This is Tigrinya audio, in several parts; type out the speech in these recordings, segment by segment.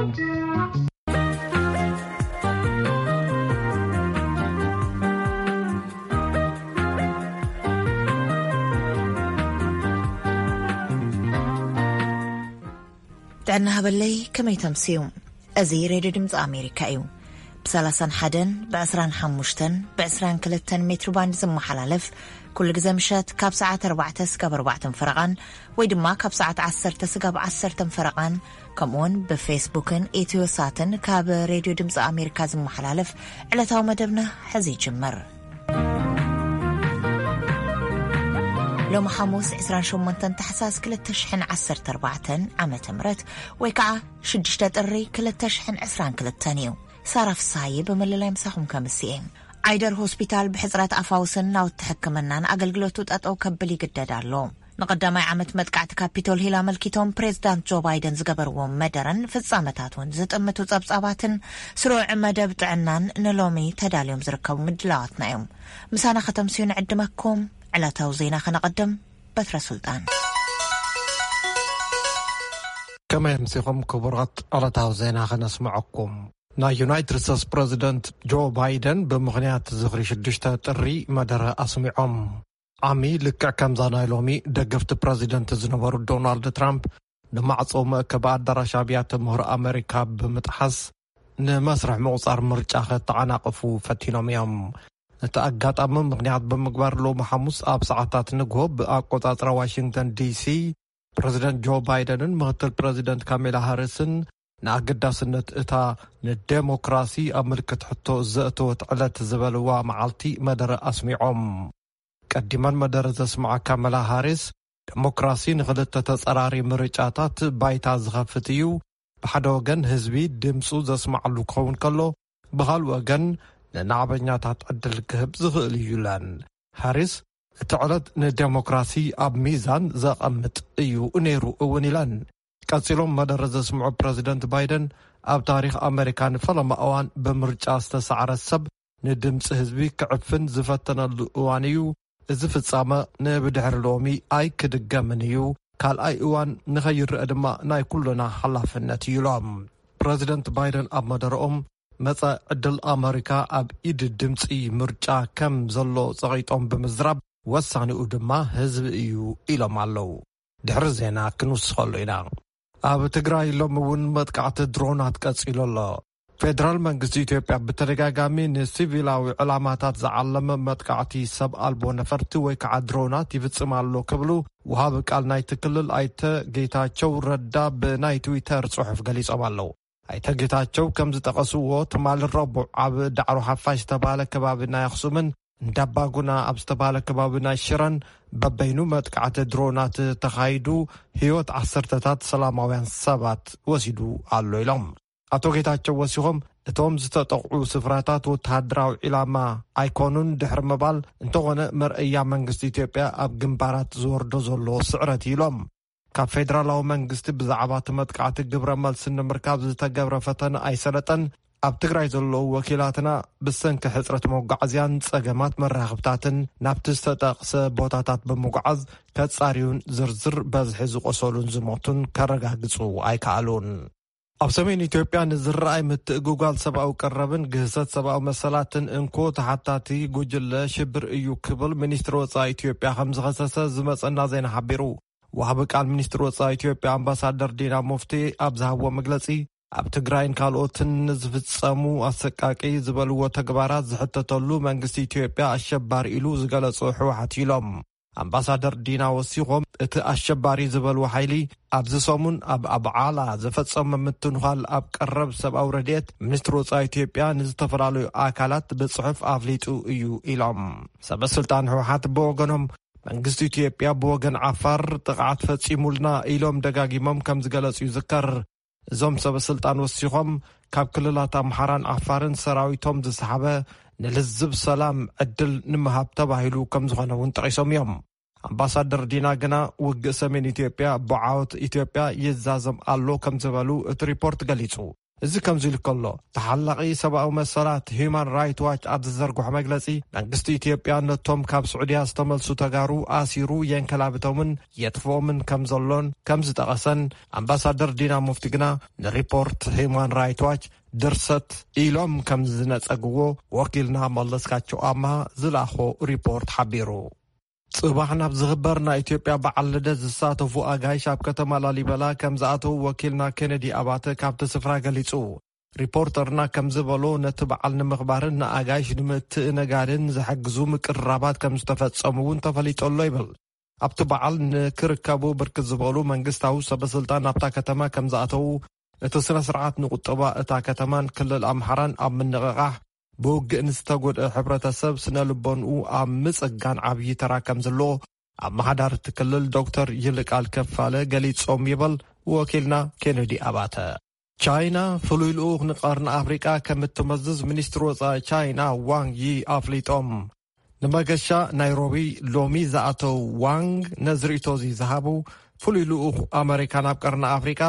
ጥዕና ሃበለይ፣ ከመይ ተምስዩ? እዚ ሬድዮ ድምፂ ኣሜሪካ እዩ። ብ31፣ ብ25፣ ብ22 ሜትሮ ባንድ ዝመሓላለፍ፣ ኩሉ ግዜ ምሸት ካብ ሰዓት ኣርባዕተ ስጋብ ኣርባዕተን ፈረቓን፣ ወይ ድማ ካብ ሰዓት ዓሰርተ ስጋብ ዓሰርተን ፈረቓን፣ ከምኡውን ብፌስቡክን ኢትዮ ሳትን ካብ ሬድዮ ድምፂ ኣሜሪካ ዝመሓላለፍ ዕለታዊ መደብና ሕዚ ይጅምር። ሎሚ ሓሙስ ዕስራን ሸሞንተን ታሕሳስ ክልተ ሽሕን ዓሰርተ ኣርባዕተን ዓመተ ምህረት፣ ወይ ከዓ ሽዱሽተ ጥሪ ክልተ ሽሕን ዕስራን ክልተን እዩ። ሳራ ፍስሃየ ብምልላይ ምሳኹም ከምስኤ። ዓይደር ሆስፒታል ብሕጽረት ኣፋውስን ናውቲ ሕክምናን ኣገልግሎቱ ጠጠው ከብል ይግደድ ኣሎ። ንቐዳማይ ዓመት መጥቃዕቲ ካፒቶል ሂል ኣመልኪቶም ፕሬዝዳንት ጆ ባይደን ዝገበርዎ መደረን ፍጻመታት እውን ዝጥምቱ ጸብጻባትን ስሩዕ መደብ ጥዕናን ንሎሚ ተዳልዮም ዝርከቡ ምድላዋትና እዮም። ምሳና ከተምስዩ ንዕድመኩም። ዕለታዊ ዜና ከነቐድም። በትረ ሱልጣን። ከመይ ኣምሲኹም ክቡራት? ዕለታዊ ዜና ከነስምዐኩም። ናይ ዩናይትድ ስቴትስ ፕረዚደንት ጆ ባይደን ብምኽንያት ዝኽሪ ሽዱሽተ ጥሪ መደረ ኣስሚዖም። ዓሚ ልክዕ ከምዛ ናይ ሎሚ፣ ደገፍቲ ፕረዚደንት ዝነበሩ ዶናልድ ትራምፕ ንማዕጾ መእከቢ ኣዳራሽ ኣብያተ ምህሮ ኣመሪካ ብምጥሓስ ንመስርሕ ምቑጻር ምርጫ ከተዓናቕፉ ፈቲኖም እዮም። ነቲ ኣጋጣሚ ምኽንያት ብምግባር ሎሚ ሓሙስ ኣብ ሰዓታት ንግሆ ብኣቆጻጽራ ዋሽንግተን ዲሲ ፕረዚደንት ጆ ባይደንን ምኽትል ፕረዚደንት ካሜላ ሃሪስን ንኣገዳስነት እታ ንዴሞክራሲ ኣብ ምልክት ሕቶ ዘእተወት ዕለት ዝበልዋ መዓልቲ መደረ ኣስሚዖም። ቀዲመን መደረ ዘስምዓ ካሜላ ሃሪስ፣ ዴሞክራሲ ንኽልተ ተጸራሪ ምርጫታት ባይታ ዝኸፍት እዩ። ብሓደ ወገን ህዝቢ ድምጹ ዘስምዓሉ ክኸውን ከሎ፣ ብኻልእ ወገን ንናዕበኛታት ዕድል ክህብ ዝኽእል እዩ ኢለን። ሃሪስ፣ እቲ ዕለት ንዴሞክራሲ ኣብ ሚዛን ዘቐምጥ እዩ ነይሩ እውን ኢለን። ቀጺሎም መደረ ዘስምዑ ፕረዚደንት ባይደን፣ ኣብ ታሪኽ ኣመሪካ ንፈለማ እዋን ብምርጫ ዝተሳዕረ ሰብ ንድምፂ ህዝቢ ክዕፍን ዝፈተነሉ እዋን እዩ። እዚ ፍጻመ ንብድሕሪ ሎሚ ኣይክድገምን እዩ። ካልኣይ እዋን ንኸይረአ ድማ ናይ ኩልና ሓላፍነት እዩ ኢሎም። ፕረዚደንት ባይደን ኣብ መደረኦም፣ መጻኢ ዕድል ኣመሪካ ኣብ ኢድ ድምፂ ምርጫ ከም ዘሎ ጸቒጦም ብምዝራብ፣ ወሳኒኡ ድማ ህዝቢ እዩ ኢሎም ኣለዉ። ድሕሪ ዜና ክንውስኸሉ ኢና። ኣብ ትግራይ ሎሚ እውን መጥቃዕቲ ድሮናት ቀጺሉ ኣሎ። ፌደራል መንግስቲ ኢትዮጵያ ብተደጋጋሚ ንሲቪላዊ ዕላማታት ዝዓለመ መጥቃዕቲ ሰብ ኣልቦ ነፈርቲ ወይ ከዓ ድሮናት ይፍጽም ኣሎ ክብሉ ወሃቢ ቃል ናይቲ ክልል ኣይተ ጌታቸው ረዳ ብናይ ትዊተር ጽሑፍ ገሊጾም ኣለዉ። ኣይተ ጌታቸው ከም ዝጠቐስዎ፣ ትማሊ ረቡዕ ኣብ ዳዕሮ ሓፋሽ ዝተባህለ ከባቢ ናይ ኣኽሱምን እንዳባጉና ኣብ ዝተባህለ ከባቢ ናይ ሽረን በበይኑ መጥቃዕቲ ድሮናት ተኻይዱ ህይወት ዓሰርተታት ሰላማውያን ሰባት ወሲዱ ኣሎ ኢሎም። ኣቶ ጌታቸው ወሲኾም፣ እቶም ዝተጠቕዑ ስፍራታት ወተሃደራዊ ዒላማ ኣይኮኑን ድሕሪ ምባል፣ እንተኾነ መርኣያ መንግስቲ ኢትዮጵያ ኣብ ግንባራት ዝወርዶ ዘሎ ስዕረት ኢሎም። ካብ ፌደራላዊ መንግስቲ ብዛዕባ እቲ መጥቃዕቲ ግብረ መልሲ ንምርካብ ዝተገብረ ፈተነ ኣይሰለጠን። ኣብ ትግራይ ዘለዉ ወኪላትና ብሰንኪ ሕጽረት መጓዓዝያን ጸገማት መራኸብታትን ናብቲ ዝተጠቕሰ ቦታታት ብምጉዓዝ ከጻርዩን ዝርዝር በዝሒ ዝቆሰሉን ዝሞቱን ከረጋግጹ ኣይከኣሉን። ኣብ ሰሜን ኢትዮጵያ ንዝረኣይ ምትእጉጓል ሰብኣዊ ቀረብን ግህሰት ሰብኣዊ መሰላትን እንኮ ተሓታቲ ጉጅለ ሽብር እዩ ክብል ሚኒስትሪ ወጻኢ ኢትዮጵያ ከም ዝኸሰሰ ዝመጸና ዜና ሓቢሩ። ወሃቢ ቃል ሚኒስትሪ ወጻኢ ኢትዮጵያ ኣምባሳደር ዲና ሙፍቲ ኣብ ዝሃብዎ መግለጺ፣ ኣብ ትግራይን ካልኦትን ንዝፍጸሙ ኣሰቃቂ ዝበልዎ ተግባራት ዝሕተተሉ መንግስቲ ኢትዮጵያ ኣሸባሪ ኢሉ ዝገለጾ ህወሓት ኢሎም። ኣምባሳደር ዲና ወሲኾም፣ እቲ ኣሸባሪ ዝበልዎ ሓይሊ ኣብዚ ሰሙን ኣብ ኣብዓላ ዝፈጸመ ምትንዃል ኣብ ቀረብ ሰብኣዊ ረድኤት ሚኒስትሪ ወጻኢ ኢትዮጵያ ንዝተፈላለዩ ኣካላት ብጽሑፍ ኣፍሊጡ እዩ ኢሎም። ሰበ ስልጣን ህወሓት ብወገኖም፣ መንግስቲ ኢትዮጵያ ብወገን ዓፋር ጥቕዓት ፈጺሙልና ኢሎም ደጋጊሞም ከም ዝገለጹ ይዝከር። እዞም ሰበ ስልጣን ወሲኾም፣ ካብ ክልላት ኣምሓራን ዓፋርን ሰራዊቶም ዝሰሓበ ንልዝብ ሰላም ዕድል ንምሃብ ተባሂሉ ከም ዝኾነ እውን ጠቒሶም እዮም። ኣምባሳደር ዲና ግና፣ ውግእ ሰሜን ኢትዮጵያ ብዓወት ኢትዮጵያ ይዛዘም ኣሎ ከም ዝበሉ እቲ ሪፖርት ገሊጹ። እዚ ከምዚ ኢሉ ከሎ፣ ተሓላቒ ሰብኣዊ መሰላት ሂዩማን ራይት ዋች ኣብ ዝዘርግሖ መግለጺ፣ መንግስቲ ኢትዮጵያ ነቶም ካብ ስዑድያ ዝተመልሱ ተጋሩ ኣሲሩ የንከላብቶምን የጥፍኦምን ከም ዘሎን ከም ዝጠቐሰን፣ ኣምባሳደር ዲና ሙፍቲ ግና ንሪፖርት ሂዩማን ራይት ዋች ድርሰት ኢሎም ከም ዝነጸግዎ ወኪልና መለስካቸው ኣምሃ ዝለኣኾ ሪፖርት ሓቢሩ። ጽባሕ ናብ ዝኽበር ናይ ኢትዮጵያ በዓል ልደት ዝሳተፉ ኣጋይሽ ኣብ ከተማ ላሊበላ ከም ዝኣተዉ ወኪልና ኬነዲ ኣባተ ካብቲ ስፍራ ገሊጹ። ሪፖርተርና ከም ዝበሎ፣ ነቲ በዓል ንምኽባርን ንኣጋይሽ ንምትእንጋድን ዝሕግዙ ምቅርራባት ከም ዝተፈጸሙ እውን ተፈሊጡ ኣሎ ይብል። ኣብቲ በዓል ንክርከቡ ብርክት ዝበሉ መንግስታዊ ሰበስልጣን ናብታ ከተማ ከም ዝኣተዉ፣ እቲ ስነ ስርዓት ንቁጠባ እታ ከተማን ክልል ኣምሓራን ኣብ ምንቕቓሕ፣ ብውግእ ንዝተጎድአ ሕብረተሰብ ስነ ልቦንኡ ኣብ ምጽጋን ዓብዪ ተራ ከም ዘለዎ ኣመሓዳሪ እቲ ክልል ዶክተር ይልቃል ከፋለ ገሊጾም ይበል ወኪልና ኬነዲ ኣባተ። ቻይና ፍሉይ ልኡኽ ንቀርኒ ኣፍሪቃ ከም እትመዝዝ ሚኒስትሪ ወጻኢ ቻይና ዋንግ ዪ ኣፍሊጦም። ንመገሻ ናይሮቢ ሎሚ ዝኣተው ዋንግ ነዚ ርእይቶ እዚ ዝሃቡ፣ ፍሉይ ልኡኽ ኣመሪካ ናብ ቀርኒ ኣፍሪቃ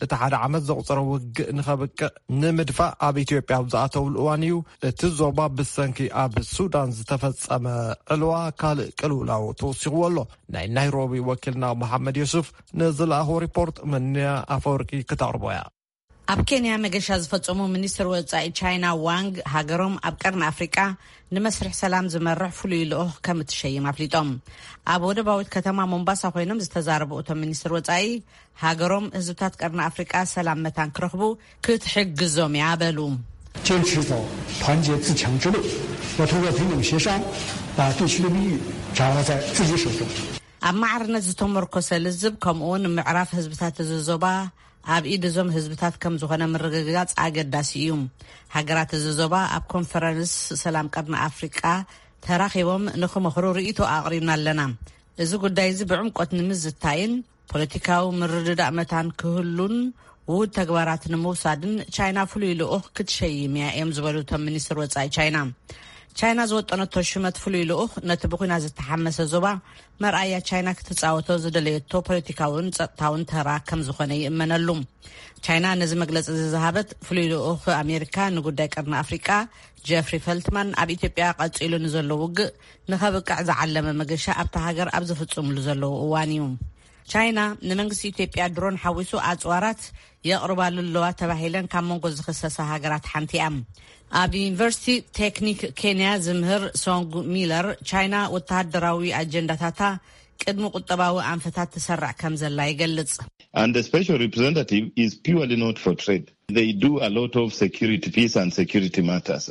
እቲ ሓደ ዓመት ዘቑጸረ ውግእ ንኸብቅዕ ንምድፋእ ኣብ ኢትዮጵያ ኣብ ዝኣተውሉ እዋን እዩ። እቲ ዞባ ብሰንኪ ኣብ ሱዳን ዝተፈጸመ ዕልዋ ካልእ ቅልውላው ተወሲኽዎ ኣሎ። ናይ ናይሮቢ ወኪልና መሓመድ ዮሱፍ ንዝለኣኾ ሪፖርት መንያ ኣፈወርቂ ክተቕርቦ እያ። ኣብ ኬንያ መገሻ ዝፈጸሙ ሚኒስትር ወጻኢ ቻይና ዋንግ፣ ሃገሮም ኣብ ቀርኒ ኣፍሪቃ ንመስርሕ ሰላም ዝመርሕ ፍሉይ ልኡኽ ከም እትሸይም ኣፍሊጦም። ኣብ ወደባዊት ከተማ ሞምባሳ ኮይኖም ዝተዛረቡ እቶም ሚኒስትር ወጻኢ፣ ሃገሮም ህዝብታት ቀርኒ ኣፍሪቃ ሰላም መታን ክረኽቡ ክትሕግዞም እያ በሉ። 坚持走团结自强之路，要通过平等协商，把地区的命运掌握在自己手中。 ኣብ ማዕርነት ዝተመርኮሰ ልዝብ፣ ከምኡውን ምዕራፍ ህዝብታት እዚ ዞባ ኣብ ኢድ እዞም ህዝብታት ከም ዝኾነ ምርግጋጽ ኣገዳሲ እዩ። ሃገራት እዚ ዞባ ኣብ ኮንፈረንስ ሰላም ቀርኒ ኣፍሪቃ ተራኺቦም ንኽመኽሩ ርእይቶ ኣቕሪብና ኣለና። እዚ ጉዳይ እዚ ብዕምቆት ንምዝታይን ፖለቲካዊ ምርድዳእ መታን ክህሉን ውሁድ ተግባራት ንምውሳድን ቻይና ፍሉይ ልኡኽ ክትሸይም እያ እዮም ዝበሉ እቶም ሚኒስትር ወጻኢ ቻይና። ቻይና ዝወጠነቶ ሽመት ፍሉይ ልኡኽ ነቲ ብኹናት ዝተሓመሰ ዞባ መርኣያ ቻይና ክትጻወቶ ዝደለየቶ ፖለቲካውን ጸጥታውን ተራ ከም ዝኾነ ይእመነሉ። ቻይና ነዚ መግለጺ እዚ ዝሃበት ፍሉይ ልኡኽ ኣሜሪካ ንጉዳይ ቀርኒ ኣፍሪቃ ጀፍሪ ፈልትማን ኣብ ኢትዮጵያ ቀጺሉ ንዘሎ ውግእ ንኸብቅዕ ዝዓለመ መገሻ ኣብታ ሃገር ኣብ ዝፍጽምሉ ዘለዉ እዋን እዩ። ቻይና ንመንግስቲ ኢትዮጵያ ድሮን ሓዊሱ ኣጽዋራት የቕርባሉ ኣለዋ ተባሂለን ካብ መንጎ ዝኽሰሳ ሃገራት ሓንቲ እያ። ኣብ ዩኒቨርሲቲ ቴክኒክ ኬንያ ዝምህር ሶንግ ሚለር፣ ቻይና ወተሃደራዊ ኣጀንዳታታ ቅድሚ ቁጠባዊ ኣንፈታት ትሰርዕ ከም ዘላ ይገልጽ። And the special representative is purely not for trade. They do a lot of security, peace and security matters.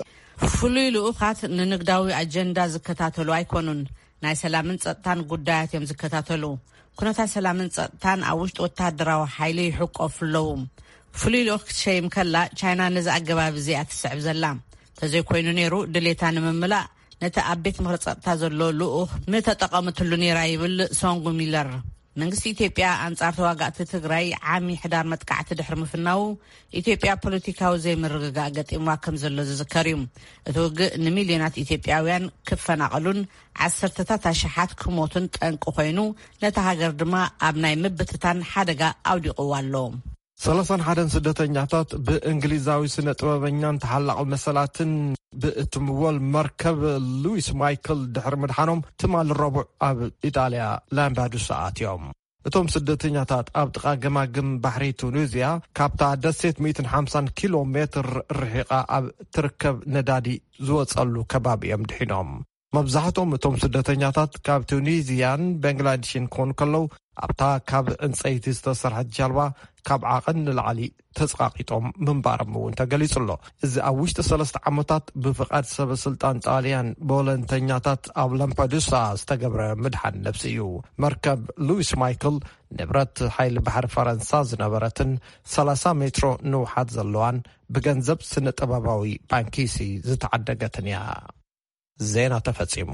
ፍሉይ ልኡኻት ንንግዳዊ ኣጀንዳ ዝከታተሉ ኣይኮኑን። ናይ ሰላምን ጸጥታን ጉዳያት እዮም ዝከታተሉ። ኩነታት ሰላምን ጸጥታን ኣብ ውሽጢ ወተሃደራዊ ሓይሊ ይሕቆፉ ኣለዉ። ፍሉይ ልኡኽ ክትሸይም ከላ፣ ቻይና ነዚ ኣገባብ እዚ እያ ትስዕብ ዘላ። ተዘይኮይኑ ነይሩ፣ ድሌታ ንምምላእ ነቲ ኣብ ቤት ምኽሪ ጸጥታ ዘሎ ልኡኽ ምተጠቐመትሉ ነይራ ይብል ሶንጉ ሚለር። መንግስቲ ኢትዮጵያ ኣንጻር ተዋጋእቲ ትግራይ ዓሚ ሕዳር መጥቃዕቲ ድሕሪ ምፍናዉ፣ ኢትዮጵያ ፖለቲካዊ ዘይምርግጋእ ገጢምዋ ከም ዘሎ ዝዝከር እዩ። እቲ ውግእ ንሚልዮናት ኢትዮጵያውያን ክፈናቐሉን ዓሰርተታት ኣሽሓት ክሞቱን ጠንቂ ኮይኑ፣ ነታ ሃገር ድማ ኣብ ናይ ምብትታን ሓደጋ ኣውዲቕዋ ኣሎ። ሰላሳን ሓደን ስደተኛታት ብእንግሊዛዊ ስነ ጥበበኛን ተሓላቒ መሰላትን ብእትምወል መርከብ ሉዊስ ማይክል ድሕሪ ምድሓኖም፣ ትማሊ ረቡዕ ኣብ ኢጣልያ ላምፓዱሳ ኣትዮም። እቶም ስደተኛታት ኣብ ጥቓ ገማግም ባሕሪ ቱኒዝያ፣ ካብታ ደሴት ሚእትን ሓምሳን ኪሎ ሜትር ርሒቓ ኣብ ትርከብ ነዳዲ ዝወጸሉ ከባቢ እዮም ድሒኖም። መብዛሕትኦም እቶም ስደተኛታት ካብ ቱኒዝያን ባንግላዴሽን ክኾኑ ከለዉ፣ ኣብታ ካብ ዕንጸይቲ ዝተሰርሐት ጃልባ ካብ ዓቐን ንላዕሊ ተጸቓቒጦም ምንባሮም እውን ተገሊጹ ኣሎ። እዚ ኣብ ውሽጢ ሰለስተ ዓመታት ብፍቓድ ሰበ ስልጣን ጣልያን ቦለንተኛታት ኣብ ላምፓዱሳ ዝተገብረ ምድሓን ነብሲ እዩ። መርከብ ሉዊስ ማይክል ንብረት ሓይሊ ባሕሪ ፈረንሳ ዝነበረትን ሰላሳ ሜትሮ ንውሓት ዘለዋን ብገንዘብ ስነ ጥበባዊ ባንኪሲ ዝተዓደገትን እያ። ዜና ተፈጺሙ።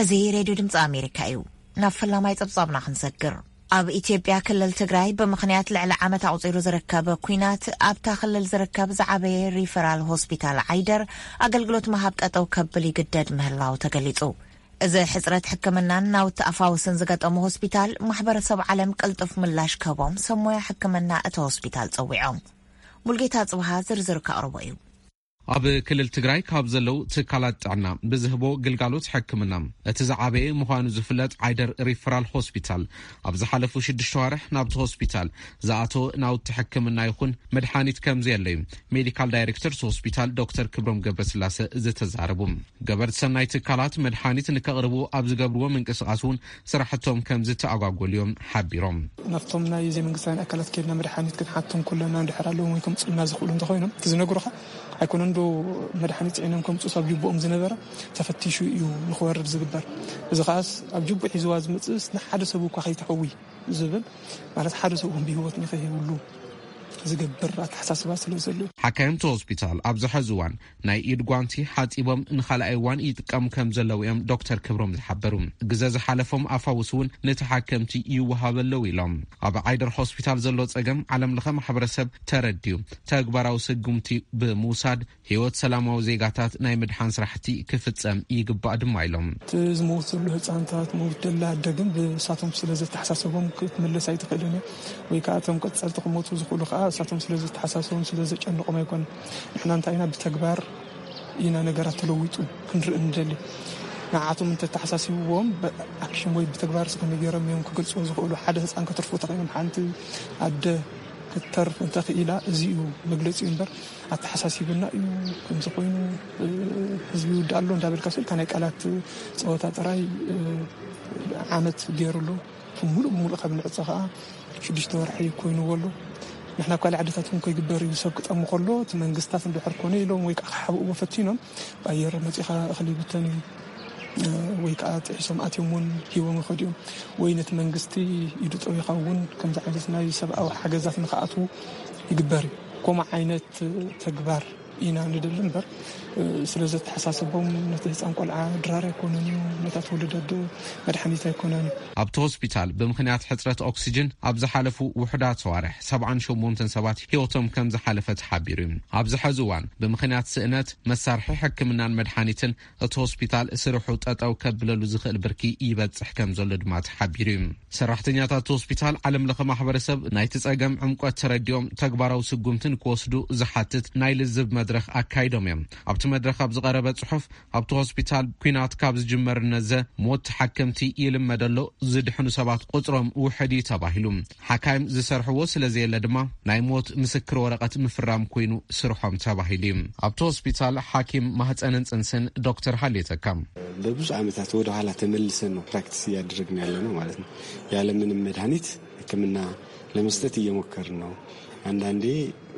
እዚ ሬድዮ ድምፂ ኣሜሪካ እዩ። ናብ ፈላማይ ጸብጻብና ክንሰግር። ኣብ ኢትዮጵያ ክልል ትግራይ ብምኽንያት ልዕሊ ዓመት ኣቑጺሩ ዝርከብ ኲናት፣ ኣብታ ክልል ዝርከብ ዝዓበየ ሪፈራል ሆስፒታል ዓይደር ኣገልግሎት ምሃብ ጠጠው ከብል ይግደድ ምህላው ተገሊጹ። እዚ ሕጽረት ሕክምናን ናውቲ ኣፋውስን ዝገጠሙ ሆስፒታል፣ ማሕበረሰብ ዓለም ቅልጡፍ ምላሽ ክህቦም ሰብ ሞያ ሕክምና እቲ ሆስፒታል ጸዊዖም። ሙልጌታ ጽብሃ ዝርዝር ከቕርቦ እዩ። ኣብ ክልል ትግራይ ካብ ዘለዉ ትካላት ጥዕና ብዝህቦ ግልጋሎት ሕክምና እቲ ዝዓበየ ምዃኑ ዝፍለጥ ዓይደር ሪፈራል ሆስፒታል፣ ኣብ ዝሓለፉ ሽዱሽተ ዋርሕ ናብቲ ሆስፒታል ዝኣተወ ናውቲ ሕክምና ይኹን መድሓኒት ከም ዘየለዩ ሜዲካል ዳይሬክተር እቲ ሆስፒታል ዶክተር ክብሮም ገብረስላሰ ዝተዛረቡ። ገበርቲ ሰናይ ትካላት መድሓኒት ንከቕርቡ ኣብ ዝገብርዎ ምንቅስቓስ እውን ስራሕቶም ከም ዝተኣጓጎሉ እዮም ሓቢሮም። ናብቶም ናይ ዘይመንግስታውያን ኣካላት ከድና መድሓኒት ክንሓቶም ከለና፣ እንድሕር ኣለዎም ወይ ከምፅኡልና ዝኽእሉ እንተኾይኖም፣ እቲ ዝነግሩኻ ኣይኮነን ዶ መድሓኒት ፅዒኖም ከምፅኡስ ኣብ ጅቡኦም ዝነበረ ተፈቲሹ እዩ ንክወርድ ዝግበር። እዚ ከዓስ ኣብ ጅቡእ ሒዝዋ ዝመፅእስ ንሓደ ሰብ እኳ ከይተሕዊ ዝብል፣ ማለት ሓደ ሰብ እውን ብህይወት ንኸይህብሉ ዝገብር ኣተሓሳስባ ስለ ዘሎ። ሓካይምቲ ሆስፒታል ኣብዚ ሕዚ እዋን ናይ ኢድ ጓንቲ ሓጺቦም ንኻልኣይ እዋን ይጥቀሙ ከም ዘለዉ እዮም ዶክተር ክብሮም ዝሓበሩ። ግዘ ዝሓለፎም ኣፋውስ እውን ንተሓከምቲ ይወሃበ ኣለዉ ኢሎም። ኣብ ዓይደር ሆስፒታል ዘሎ ጸገም ዓለም ለኸ ማሕበረሰብ ተረዲኡ ተግባራዊ ስጉምቲ ብምውሳድ ህይወት ሰላማዊ ዜጋታት ናይ ምድሓን ስራሕቲ ክፍጸም ይግባእ ድማ ኢሎም። እቲ ዝመውት ዘሎ ህፃንታት፣ መውት ደላ ኣደ ግን ብሳቶም ስለ ዘተሓሳሰቦም ክትምለስ ኣይትኽእልን እያ። ወይ ከዓ እቶም ቀፀልቲ ክሞቱ ዝኽእሉ ከዓ እሳቶም ስለ ዘተሓሳሰቦም ስለ ዘጨንቆም ኣይኮን። ንሕና እንታይ ኢና ብተግባር ኢና ነገራት ተለዊጡ ክንርኢ እንደሊ። ንዓቶም እንተተሓሳሲብዎም ብኣክሽን ወይ ብተግባር ከመይ ገይሮም እዮም ክገልፅዎ ዝኽእሉ? ሓደ ህፃን ከተርፉ ተኽኢሎም ሓንቲ ኣደ ክትተርፍ እንተኽኢላ እዚ እዩ መግለፂ እምበር ኣተሓሳሲብና እዩ ከምዚ ኮይኑ ህዝቢ ይውዳእ ኣሎ እንዳበልካ ስልካ ናይ ቃላት ፀወታ ጥራይ ዓመት ገይሩሉ ሙሉእ ብሙሉእ ካብ ንዕፀ ከዓ ሽዱሽተ ወርሒ ኮይኑዎ ኣሎ። ንሕና ኣብ ካልእ ዓድታት እውን ከይግበር እዩ ሰብ ክጠሙ ከሎ እቲ መንግስታት እንድሕር ኮነ ኢሎም ወይ ከዓ ክሓብእዎ ፈቲኖም ብኣየር መፂኻ እኽሊ ይብተን እዩ ወይ ከዓ ጥሒሶም ኣትዮም እውን ሂቦም ይኸዱ እዮም። ወይ ነቲ መንግስቲ ኢዱ ጠዊኻ እውን ከምዚ ዓይነት ናይ ሰብኣዊ ሓገዛት ንክኣትዉ ይግበር እዩ። ከምኡ ዓይነት ተግባር ኢና ንደሊ እምበር ስለ ዘተሓሳሰቦም ነቲ ህፃን ቆልዓ ድራር ኣይኮነን እዩ፣ ነታ ትወልድ ኣደ መድሓኒት ኣይኮነን። ኣብቲ ሆስፒታል ብምኽንያት ሕፅረት ኦክሲጅን ኣብ ዝሓለፉ ውሑዳት ሰዋርሕ ሰብዓን ሸሞንተን ሰባት ህይወቶም ከም ዝሓለፈ ተሓቢሩ እዩ። ኣብዚ ሕዚ እዋን ብምኽንያት ስእነት መሳርሒ ሕክምናን መድሓኒትን እቲ ሆስፒታል ስርሑ ጠጠው ከብለሉ ዝኽእል ብርኪ ይበፅሕ ከም ዘሎ ድማ ተሓቢሩ እዩ። ሰራሕተኛታት ሆስፒታል ዓለም ለኸ ማሕበረሰብ ናይቲ ጸገም ዕምቆት ተረዲኦም ተግባራዊ ስጉምቲ ንክወስዱ ዝሓትት ናይ ልዝብ መድረኽ ኣካይዶም እዮም። ኣብቲ መድረኽ ኣብ ዝቐረበ ጽሑፍ ኣብቲ ሆስፒታል ኲናት ካብ ዝጅመር ነዘ ሞት ተሓከምቲ ይልመድ ኣሎ፣ ዝድሕኑ ሰባት ቁጽሮም ውሕድ እዩ ተባሂሉ። ሓካይም ዝሰርሕዎ ስለ ዘየለ ድማ ናይ ሞት ምስክር ወረቐት ምፍራም ኮይኑ ስርሖም ተባሂሉ እዩ። ኣብቲ ሆስፒታል ሓኪም ማህፀንን ጽንስን ዶክተር ሃሌ ተካ። በብዙ ዓመታት ወደ ኋላ ተመልሰን ነው ፕራክቲስ እያደረግን ያለ ነው ማለት ነው። ያለምንም መድኃኒት ሕክምና ለመስጠት እየሞከርን ነው። አንዳንዴ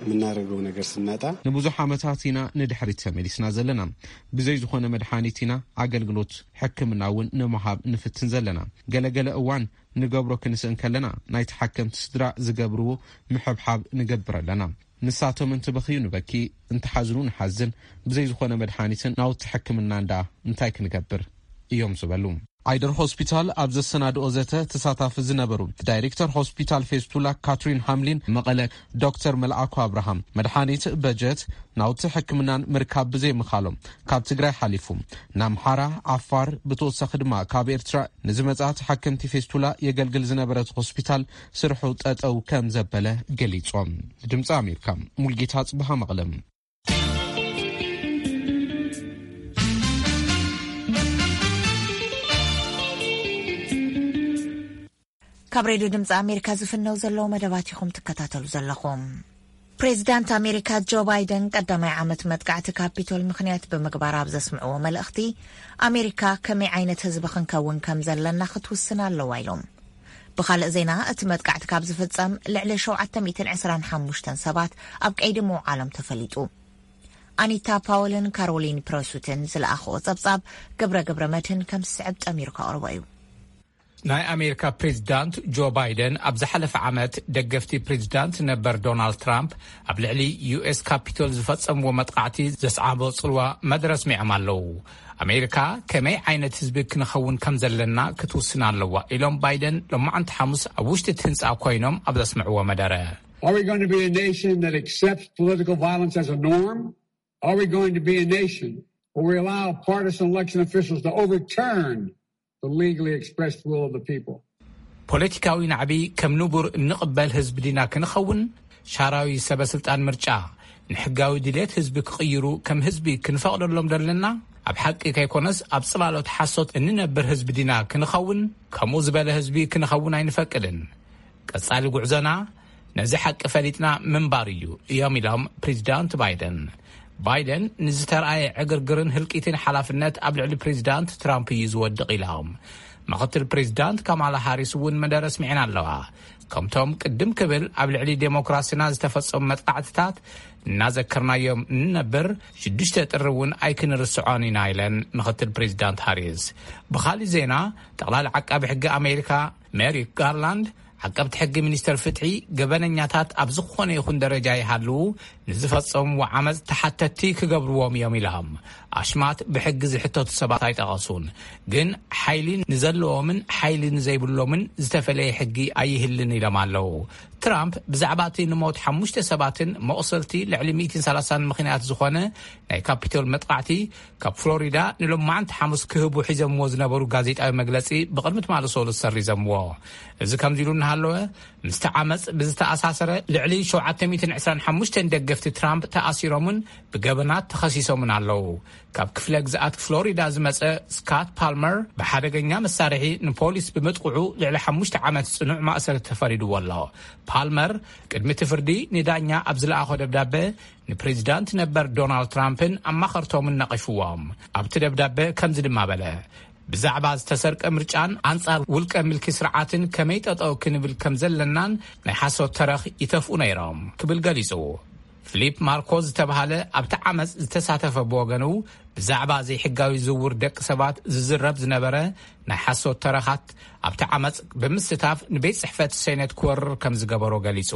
የምናደርገው ነገር ስናጣ ንብዙሕ ዓመታት ኢና ንድሕሪት ተመሊስና ዘለና። ብዘይ ዝኾነ መድሓኒት ኢና ኣገልግሎት ሕክምና እውን ንምሃብ ንፍትን ዘለና። ገለገለ እዋን ንገብሮ ክንስእ እንከለና ናይ ተሓከምቲ ስድራ ዝገብርዎ ምሕብሓብ ንገብር ኣለና። ንሳቶም እንትበኽዩ ንበኪ፣ እንትሓዝኑ ንሓዝን፣ ብዘይ ዝኾነ መድሓኒትን ናውቲ ሕክምና እንዳ እንታይ ክንገብር እዮም ዝበሉ። ዓይደር ሆስፒታል ኣብ ዘሰናድኦ ዘተ ተሳታፊ ዝነበሩ ዳይሬክተር ሆስፒታል ፌስቱላ ካትሪን ሃምሊን፣ መቐለ ዶክተር መልኣኩ ኣብርሃም፣ መድሓኒት፣ በጀት፣ ናውቲ ሕክምናን ምርካብ ብዘይምኻሎም ካብ ትግራይ ሓሊፉ ንኣምሓራ፣ ዓፋር፣ ብተወሳኺ ድማ ካብ ኤርትራ ንዝመጻ ተሓከምቲ ፌስቱላ የገልግል ዝነበረ እቲ ሆስፒታል ስርሑ ጠጠው ከም ዘበለ ገሊጾም። ድምፂ ኣሜሪካ፣ ሙልጌታ ጽብሃ መቐለም። ካብ ሬድዮ ድምፂ ኣሜሪካ ዝፍነው ዘለዉ መደባት ኢኹም ትከታተሉ ዘለኹም። ፕሬዚዳንት ኣሜሪካ ጆ ባይደን ቀዳማይ ዓመት መጥቃዕቲ ካፒቶል ምኽንያት ብምግባር ኣብ ዘስምዕዎ መልእኽቲ፣ ኣሜሪካ ከመይ ዓይነት ህዝቢ ክንከውን ከም ዘለና ክትውስን ኣለዋ ኢሎም። ብኻልእ ዜና፣ እቲ መጥቃዕቲ ካብ ዝፍጸም ልዕሊ ሸውዓተ ሚእትን ዕስራን ሓሙሽተን ሰባት ኣብ ቀይዲ ምውዓሎም ተፈሊጡ። ኣኒታ ፓውልን ካሮሊን ፕረሱትን ዝለኣኽዎ ጸብጻብ ግብረ ግብረ መድህን ከም ዝስዕብ ጠሚሩ ከቕርቦ እዩ። ናይ ኣሜሪካ ፕሬዚዳንት ጆ ባይደን ኣብ ዝሓለፈ ዓመት ደገፍቲ ፕሬዚዳንት ነበር ዶናልድ ትራምፕ ኣብ ልዕሊ ዩ ኤስ ካፒቶል ዝፈጸምዎ መጥቃዕቲ ዘስዓቦ ጽልዋ መደረ ኣስሚዖም ኣለዉ። ኣሜሪካ ከመይ ዓይነት ህዝቢ ክንኸውን ከም ዘለና ክትውስን ኣለዋ ኢሎም ባይደን ሎማዕንቲ ሓሙስ ኣብ ውሽጢ እቲ ህንጻ ኮይኖም ኣብ ዘስምዕዎ መደረ። Are we going to be a nation that accepts political violence as a norm? Are we going to be a nation or we allow partisan election officials to overturn the legally expressed will of the people. ፖለቲካዊ ናዕቢ ከም ንቡር እንቕበል ህዝቢ ዲና ክንኸውን፣ ሻራዊ ሰበ ስልጣን ምርጫ ንሕጋዊ ድሌት ህዝቢ ክቕይሩ ከም ህዝቢ ክንፈቕደሎም ደለና? ኣብ ሓቂ ከይኮነስ ኣብ ጽላሎት ሓሶት እንነብር ህዝቢ ዲና ክንኸውን? ከምኡ ዝበለ ህዝቢ ክንኸውን ኣይንፈቅድን። ቀጻሊ ጉዕዞና ነዚ ሓቂ ፈሊጥና ምንባር እዩ እዮም ኢሎም ፕሬዚዳንት ባይደን። ባይደን ንዝተረኣየ ዕግርግርን ህልቂትን ሓላፍነት ኣብ ልዕሊ ፕሬዚዳንት ትራምፕ እዩ ዝወድቕ ኢሎም። ምኽትል ፕሬዚዳንት ካማላ ሃሪስ እውን መደረ ኣስሚዐን ኣለዋ። ከምቶም ቅድም ክብል ኣብ ልዕሊ ዴሞክራሲና ዝተፈጸሙ መጥቃዕትታት እናዘከርናዮም እንነብር ሽዱሽተ ጥሪ እውን ኣይክንርስዖን ኢና ኢለን ምኽትል ፕሬዚዳንት ሃሪስ። ብኻሊእ ዜና፣ ጠቕላሊ ዓቃቢ ሕጊ ኣሜሪካ ሜሪክ ጋርላንድ፣ ዓቀብቲ ሕጊ ሚኒስተር ፍትሒ፣ ገበነኛታት ኣብ ዝኾነ ይኹን ደረጃ ይሃልዉ ንዝፈጸምዎ ዓመፅ ተሓተትቲ ክገብርዎም እዮም ኢሎም። ኣሽማት ብሕጊ ዝሕተቱ ሰባት ኣይጠቐሱን፣ ግን ሓይሊ ንዘለዎምን ሓይሊ ንዘይብሎምን ዝተፈለየ ሕጊ ኣይህልን ኢሎም ኣለዉ። ትራምፕ ብዛዕባ እቲ ንሞት ሓሙሽተ ሰባትን መቑሰልቲ ልዕሊ ሚእትን ሰላሳን ምኽንያት ዝኾነ ናይ ካፒቶል መጥቓዕቲ ካብ ፍሎሪዳ ንሎማዓንቲ ሓሙስ ክህቡ ሒዘምዎ ዝነበሩ ጋዜጣዊ መግለጺ ብቕድሚ ትማሊ ሰሉስ ሰሪዘምዎ። እዚ ከምዚ ኢሉ እናሃለወ፣ ምስቲ ዓመጽ ብዝተኣሳሰረ ልዕሊ ሸውዓተ ሚእትን ዕስራን ሓሙሽተን ደገፍቲ ትራምፕ ተኣሲሮምን ብገበናት ተኸሲሶምን ኣለዉ። ካብ ክፍለ ግዝኣት ፍሎሪዳ ዝመጸ ስካት ፓልመር ብሓደገኛ መሳርሒ ንፖሊስ ብምጥቕዑ ልዕሊ ሓሙሽተ ዓመት ጽኑዕ ማእሰርቲ ተፈሪድዎ ኣሎ። ፓልመር ቅድሚ እቲ ፍርዲ ንዳኛ ኣብ ዝለኣኾ ደብዳበ ንፕሬዚዳንት ነበር ዶናልድ ትራምፕን ኣማኸርቶምን ነቒፍዎም። ኣብቲ ደብዳበ ከምዚ ድማ በለ፣ ብዛዕባ ዝተሰርቀ ምርጫን ኣንጻር ውልቀ ምልኪ ስርዓትን ከመይ ጠጠው ክንብል ከም ዘለናን ናይ ሓሶት ተረኽ ይተፍኡ ነይሮም ክብል ገሊጹ። ፊሊፕ ማርኮ ዝተባሃለ ኣብቲ ዓመጽ ዝተሳተፈ ብወገኑ፣ ብዛዕባ ዘይሕጋዊ ዝውውር ደቂ ሰባት ዝዝረብ ዝነበረ ናይ ሓሶት ተረኻት ኣብቲ ዓመጽ ብምስታፍ ንቤት ጽሕፈት ሴኔት ክወርር ከም ዝገበሮ ገሊጹ።